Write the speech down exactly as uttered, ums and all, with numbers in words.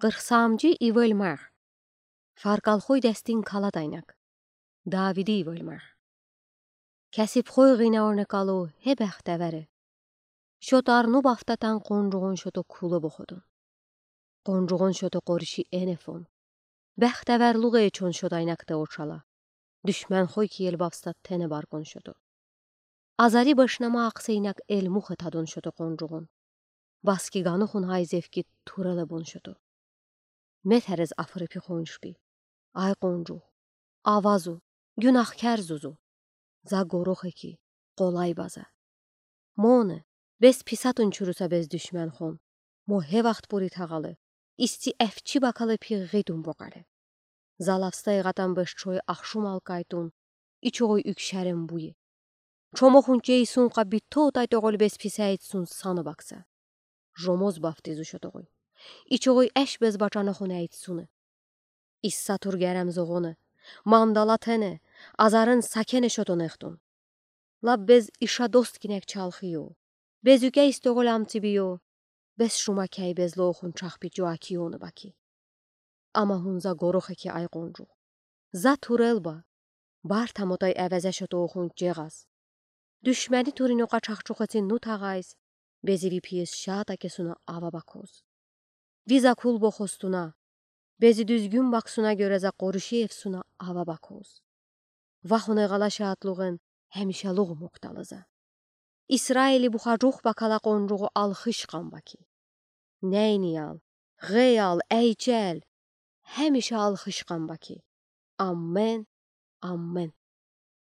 Qırx samcı ivölmağ. Farkalxoy dəstin kaladaynak. Davidi ivölmağ. Kəsibxoy ğinə ornə kalı he bəxtəvəri. Şotarnı baftatən qoncuğun şoto kulə boxodun. Qoncuğun şoto qorişi enefon. Bəxtəvərluğ eçon şotaynakte oçala. Düşmənxoy ki el bafstat tenə barqon şoto. Azari bəşnəmə aqseynak el muxə tadon şoto qoncuğun. Baski qanuxun hayzevki turələ bon şoto. Metərəz afırıpi xonşbi. Ay qoncuğ. Avazu. Günahkər zuzu. Za qoroxe ki. Qolay bazə. Mone. Bez pisatın çurusa bez düşmənxon. Mo he vaxt buri tağalı. İsti əfçi bakalı piğğidun boqalı. Zalavstay ğatan bış çoy axşum alkaytun, içoğuy ükşəren buyi. Çomoxun çeysunqa bito tay toğul bez pisəyitsun sanı baksa. Jomoz baftizu şotoğuy. İçoğuy əş bez baçanoxun əyitsuni. İssa tur gərəm zoğoni, mandala tene, azarın sakene şotonextun. Lap bez işa dost kinək çalxıyo. Bez ükə istoğul amtibiyo. Bez şuma kəy bez loxun çaxpi coakiyoni baki. Ama hun za qoroxe ki ay qoncuğ. Za turel ba. Bar tamotay əvəzə şotoxun ceğaz. Düşməni turin oqa çaxçoxəti nutağayz. Bezi vipiyes şata kesuna ava bakoz. Viza kul boxostuna. Bezi düzgün baksuna görə za qorişi efsuna ava bakoz. Vahone ğala şaatluğen həmişəluğ moktalıza. İsraili buxacox bakala qoncuğu alxış qan baki. Nəyniyal, ğeyal, əyçəl, həmişə alxış qan baki. Amen, amen.